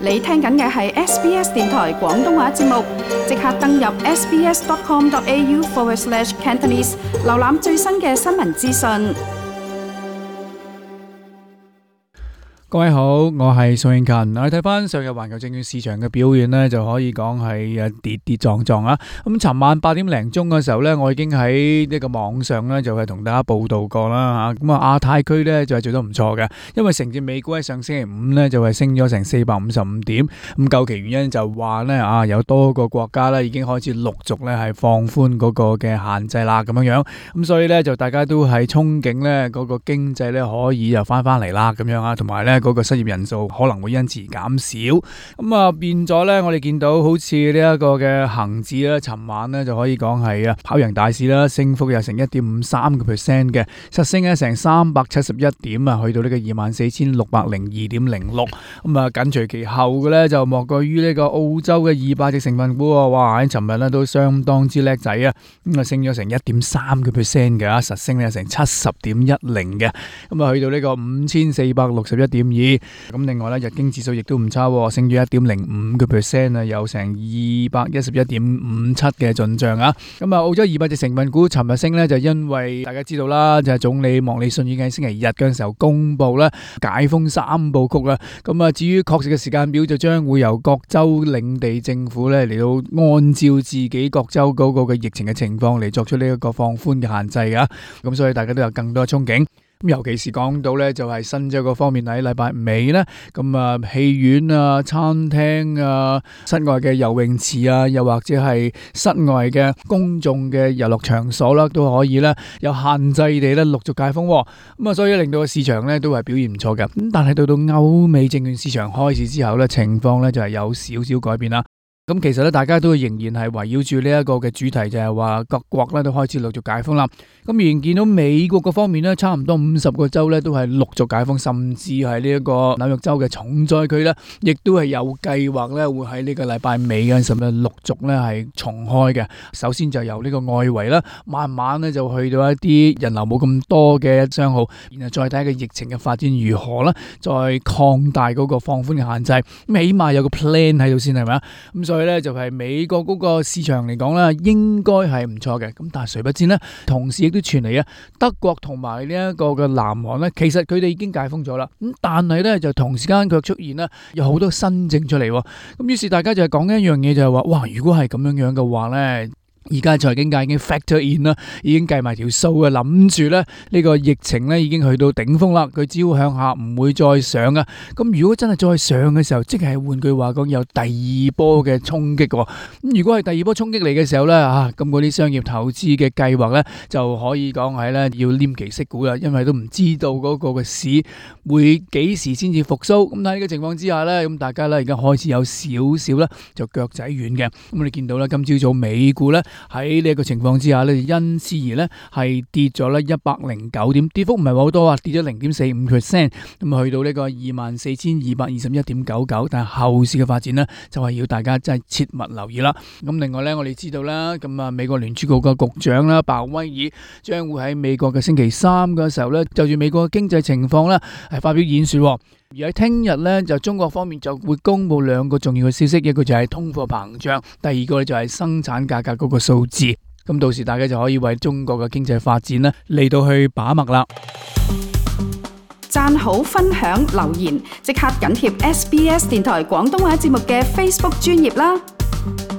你聽緊嘅係 SBS 電台廣東話節目，即刻登入 sbs.com.au/Cantonese， 瀏覽最新嘅新聞資訊。各位好，我係宋慶勤。我哋睇翻上日環球證券市場嘅表現呢，就可以講係跌跌撞撞啊。咁尋晚8點零鐘嘅時候呢，我已經喺呢個網上呢，就係同大家報道過啦吓。咁亞太區呢，就係做得唔錯嘅，因為承接美股喺上星期五呢，就係升咗成455點。咁究其原因就話呢，有多個國家呢已經開始陸續呢係放寬嗰個嘅限制啦咁樣。咁所以呢，就大家都係憧憬呢嗰個經濟呢可以又翻嚟啦咁樣啊，同埋呢嗰個失業人數可能會因此而減少，咁變咗呢，我哋見到好似呢一個嘅恒指咧，尋晚呢就可以講係跑贏大市啦，升幅有成1.53%嘅，實升咧成371點啊，去到呢個24,602.06。咁緊隨其後嘅呢，就莫過於呢個澳洲嘅200隻成分股，哇喺尋日呢都相當之叻仔啊，咁升咗成1.3%嘅，實升咧成70.10嘅，咁去到呢個5461.2。咁另外咧，日經指數亦都唔差，升咗1.05%啊，有成211.57嘅進賬啊。咁澳洲200隻成分股尋日升呢，就因為大家知道啦，就係總理莫里遜已經喺星期日嘅時候公布咧解封3部曲啦。咁至於確實嘅時間表，就將會由各州領地政府咧嚟到按照自己各州嗰個嘅疫情嘅情況嚟作出呢一個放寬嘅限制噶。咁所以大家都有更多嘅憧憬。咁尤其是講到咧，就係新州嗰方面喺禮拜尾咧，咁戲院啊、餐廳啊、室外嘅游泳池啊，又或者係室外嘅公眾嘅遊樂場所啦，都可以咧有限制地咧陸續解封。咁所以令到個市場咧都係表現唔錯嘅。咁但係到歐美證券市場開市之後咧，情況咧就係有少少改變啦。咁其實咧，大家都仍然係圍繞住呢一個嘅主題，就係話各國咧都開始陸續解封啦。咁仍然見到美國嗰方面咧，差唔多50個州咧都係陸續解封，甚至係呢一個紐約州嘅重災區咧，亦都係有計劃咧會喺呢個禮拜尾嘅時候咧陸續咧係重開嘅。首先就由呢個外圍啦，慢慢咧就去到一啲人流冇咁多嘅商號，然後再睇個疫情嘅發展如何啦，再擴大嗰個放寬嘅限制。咁起碼有個 plan 喺度先，係咪啊？咁所以咧就係美國嗰個市場嚟講咧，應該係唔錯嘅。咁但係誰不知呢，同時亦都傳嚟德國同埋呢一個嘅南韓呢，其實佢哋已經解封咗啦。咁但係咧就同時間卻出現呢有好多新症出嚟。咁於是大家就係講一樣嘢，就係話，哇！如果係咁樣嘅話呢，而家財經界已經 factor in 啦，已經計埋條數啊，諗住咧呢個疫情咧已經去到頂峰啦，佢只要向下唔會再上啊。咁如果真係再上嘅時候，即係換句話講，有第二波嘅衝擊。咁如果係第二波衝擊嚟嘅時候咧，咁嗰啲商業投資嘅計劃咧就可以講係咧要黏其息股啦，因為都唔知道嗰個嘅市會幾時先至復甦。咁喺呢個情況之下咧，咁大家咧而家開始有少少咧就腳仔軟嘅。咁你見到咧今朝早美股咧喺呢一個情況之下咧，因此而咧係跌咗咧109點，跌幅唔係好多啊，跌咗0.45%，咁去到呢個24,221.99。但係後市嘅發展呢，就係要大家真係切勿留意啦。咁另外咧，我哋知道啦，咁美國聯儲局嘅局長啦，鮑威爾將會喺美國嘅星期三嘅時候咧，就住美國嘅經濟情況咧係發表演說。而喺聽日咧，就中國方面就會公布2個重要嘅消息，一個就係通貨膨脹，第二個就係生產價格嗰個數字。咁到時大家就可以為中國嘅經濟發展呢嚟到去把脈啦。讚好、分享、留言，即刻緊貼 SBS 電台廣東話節目嘅 Facebook 專頁啦。